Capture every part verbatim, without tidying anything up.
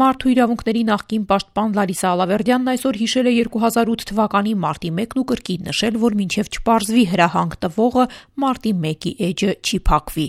Մարդու իրավունքների նախկին պաշտպան Լարիսա Ալավերդյանն այսօր հիշել է երկու հազար ութ թվականի մարտի մեկն ու կրկին նշել, որ մինչև չպարզվի հրահանգ տվողը մարտի մեկի էջը չի փակվի։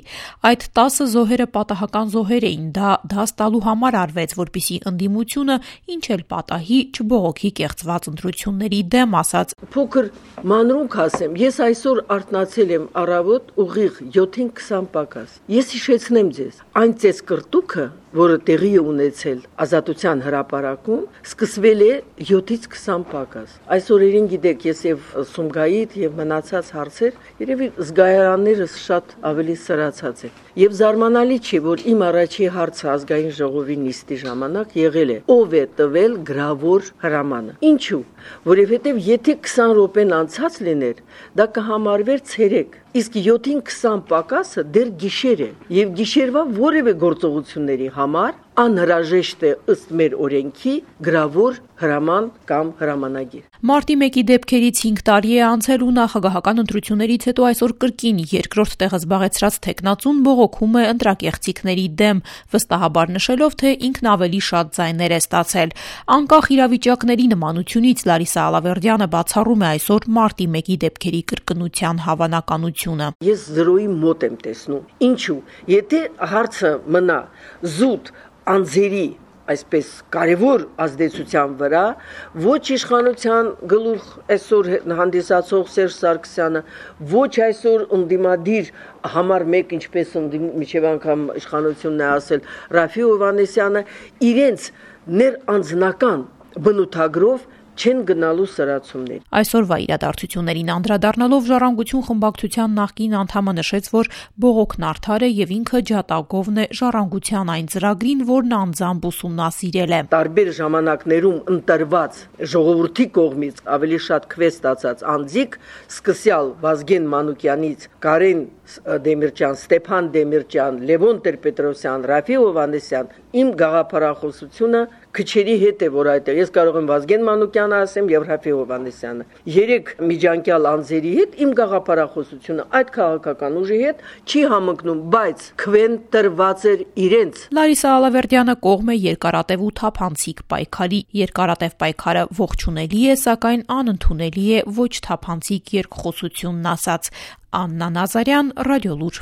Այդ տասը զոհերը պատահական զոհեր էին, դա դաս տալու համար արվեց, որպեսզի ընդդիմությունը ինչ էլ պատահի չբողոքի կեղծված ընտրությունների դեմ, ասաց. Փոքր մանրունք ասեմ, ես այսօր արթնացել եմ առավոտ ուղիղ յոթին քսան պակաս։ Ես հիշեցնեմ ձեզ, այն ծես կրտուքը, որը տեղի է ունեցել Ազատության հրապարակում, սկսվել է յոթից քսան պակաս։ Այս օրերին գիտեք, ես եւ Սումգայիթ եւ մնացած հարցեր, երևի զգայարաններս շատ ավելի սրացած են։ Եվ զարմանալի չի, որ իմ առաջի հարցը ազգային ժողովի նիստի ժամանակ եղել է. ով է տվել գրավոր հրամանը։ Ինչու՞։ Որովհետեւ եթե քսան րոպեն անցած լիներ, դա կհամարվեր ցերեկ, իսկ յոթին քսան պակասը դեռ գիշեր է, եւ գիշերվա որևէ գործողությունների համար անհրաժեշտ է ըստ մեր օրենքի գրավոր հրաման կամ հրամանագիր։ Մարտի մեկի դեպքերից հինգ տարի է անցել ու նախագահական ընտրություններից հետո այսօր կրկին երկրորդ տեղը զբաղեցրած թեկնածուն բողոքում է ընտրակեղծիքների դեմ, վստահաբար նշելով, թե ինքն ավելի շատ ձայներ է ստացել։ Անկախ իրավիճակների նմանությունից Լարիսա Ալավերդյանը բացառում է այսօր մարտի մեկի դեպքերի կրկնության հավանականությունը։ Ես զրոյի մոտ եմ տեսնում։ Ինչու՞։ Եթե հարցը մնա զուտ անձերի այսպես կարևոր ազդեցության վրա, ոչ իշխանության գլուխ այսօր հանդիսացող Սերժ Սարգսյանը, ոչ այսօր ընդդիմադիր համար մեկ, ինչպես միջև անգամ իշխանությունն է ասել Ռաֆի Հովհաննիսյանը, իրենց ներանձնական բնութագրով չեն գնալու սրացումներ։ Այսօրվա իրադարձություններին անդրադառնալով Ժառանգություն խմբակցության նախկին անդամը նշեց, որ բողոքն արդար է եւ ինքը ջատագովն է Ժառանգության այն ծրագրին, որն անձամբ ուսումնասիրել է։ Տարբեր ժամանակներում ընտրված ժողովրդի կողմից ավելի շատ քվե ստացած անձիկ, սկսյալ Վազգեն Մանուկյանից, Կարեն Դեմիրճյան, Ստեփան Դեմիրճյան, Լևոն Տեր-Պետրոսյան, Ռաֆի Հովհաննիսյան, իմ գաղափարախոսությունը քչերի հետ է, որ այդտեղ ես կարող եմ Վազգեն Մանուկյանը ասեմ եւ Ռաֆի Հովհաննիսյանը։ Երեք միջանկյալ անձերի հետ իմ գաղափարախոսությունը այդ քաղաքական ուժի հետ չի համընկնում, բայց քվեն տրված էր իրենց։ Լարիսա Ալավերդյանը կողմ է երկարատև ու թափանցիկ պայքարի։ Երկարատև պայքարը ողջունելի է, սակայն անընդունելի է ոչ թափանցիկ երկխոսությունն ասաց Աննա Նազարյան, Ռադիոլուր։